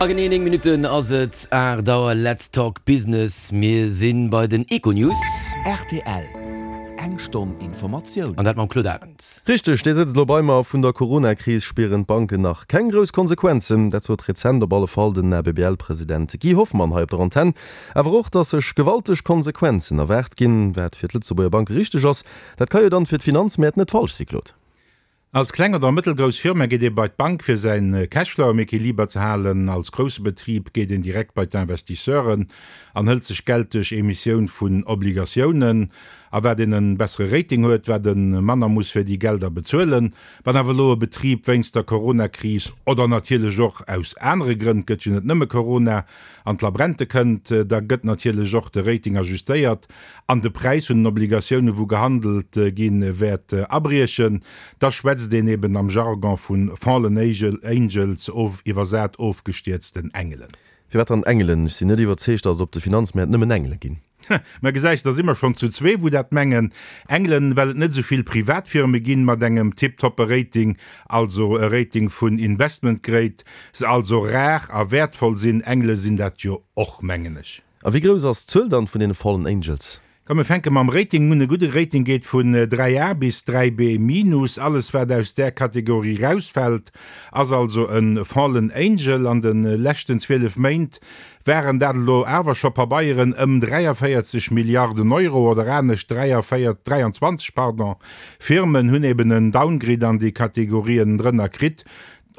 A genee 9 Minutten ass et 8 Auer. Let's talk business. Mir si bei den Econews. Rtl, Eng Stonn Informatioun. An dat mam Claude Arend. Richteg, dee sëtzt elo bei mer. Vun der Corona-Kris spieren d'Banken nach keng grouss Konsequenzen. Dat sot rezent op alle Fall den ABBL-President Guy Hoffmann hei op der Antenn. Awer och, datt sech gewalteg Konsequenzen erwaart ginn. Wat fir d'Lëtzebuerger Banke richteg ass, dat ka jo dann fir d'Finanzmäert net falsch si, Claude. Als kleng oder mëttelgrouss Firma geet ee bei d'Bank fir säin Cashflow am Equiliber ze halen. Als grousse Betrib geet een direkt bei d'Investisseuren an hëlt sech Geld duerch Emissioun vun Obligatiounen. A wat een en bessere Rating huet, wat e manner muss fir déi Gelder bezuelen. Wann awer elo e Betrib wéinst der Coronakris oder natierlech och aus anere Grënn, et gëtt jo net nëmme Corona, an d'Labrente kënnt, da gëtt natierlech och de Rating ajustéiert an de Präis vun den Obligatioune wou gehandelt ginn, wäert abriechen, da schwätzt een eben am Jargon vu fallen angels, of iwwersat ofgestierzten Engelen. Firwat dann Engelen? Ech sinn net iwwerzeegt, datt et op de Finanzmäert nëmmen Engele ginn. Mä gesäis, da si mer schonn zu zwee wou dat mengen. Engelen, well et net esou vill Privatfirme ginn mat engem tiptoppe Rating, also e Rating vun Investment Grade, se also rar a wäertvoll sinn. Engele sinn dat jo och, mengen ech. A wéi grouss ass d'Zuel dann vun deene Fallen Angels? Komm mir fänke mam Rating un. E gudde Rating geet vun 3 A bis 3 B minus. Alles wat aus där Kategorie rausfält ass also e Fallen Angel. An de leschten 12 Méint waren dat elo awer scho Pabeieren ëm 43 Milliarden Euro, oder anescht 43, 23, pardon, Firmen hunn eben en Downgrade an déi Kategorien drënner kritt.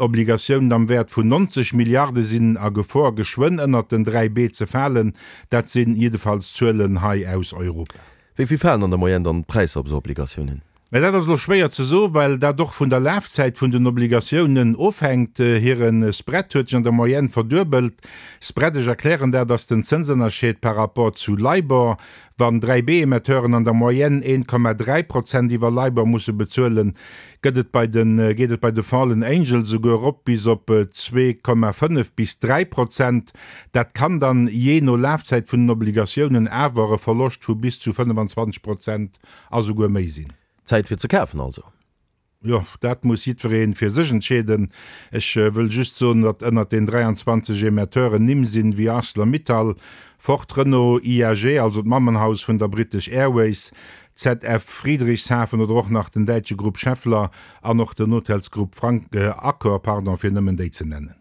Obligatiounen am Wäert vun 90 Milliarde sinn a Gefor, geschwënn ënnert den 3 B ze falen. Dat sinn jiddefalls Zuelen hei aus Europa. Wéi vill falen an der Moyenne dann d'Präisser op esou Obligatiounen? Mä dat ass elo schwéier ze soen, well dat och vun der Lafzäit vun den Obligatiounen ofhänkt. Hire Spread huet sech an der Moyenne verduebelt. Spread, ech erklären dat, ass den Zënsënnerscheed par rapport zu LIBOR. Wann 3B-Emetteuren an der Moyenne 1,3 Prozent iwwer LIBOR musse bezuelen, gëtt et bei de geet et bei de Fallen Angels esouguer erop bis op 2,5 bis 3 Prozent. Dat kann dann, jee no Lafzäit vun den Obligatiounen, awer e Verloscht vu bis zu 25 Prozent a souguer méi sinn. Zäit fir ze kafen also. Jo, dat muss jiddweree fir sech entscheeden. Ech wëll just soen, datt ënnert den 23 Emetteuren Nimm sinn wéi Arcelor-Mittal, Ford, Renault, IAG, also d'Mammenhaus vun der British Airways, ZF Friedrichshafen oder och nach den däitsche Grupp Schaeffler an och den Hotelsgrupp Frank, Accor, pardon, fir nëmmen déi ze nennen.